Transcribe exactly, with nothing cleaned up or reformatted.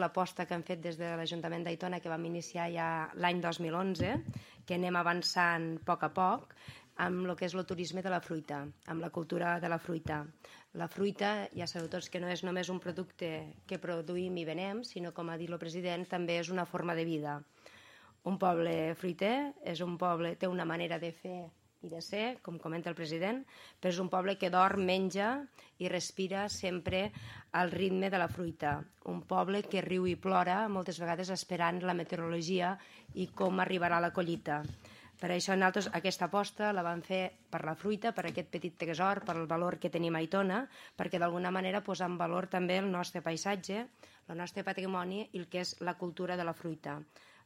l'aposta que hem fet des de l'Ajuntament d'Aitona, que vam iniciar ja l'any dos mil onze, que anem avançant a poc a poc, amb el que és el turisme de la fruita, amb la cultura de la fruita. La fruita, ja sabeu tots que no és només un producte que produïm i venem, sinó, com ha dit el president, també és una forma de vida. Un poble fruiter és un poble, té una manera de fer i de ser, com comenta el president, però és un poble que dorm, menja i respira sempre al ritme de la fruita. Un poble que riu i plora moltes vegades esperant la meteorologia i com arribarà la collita. Per això nosaltres aquesta aposta la vam fer per la fruita, per aquest petit tresor, per el valor que tenim a Aitona, perquè d'alguna manera posar en valor també el nostre paisatge, el nostre patrimoni i el que és la cultura de la fruita.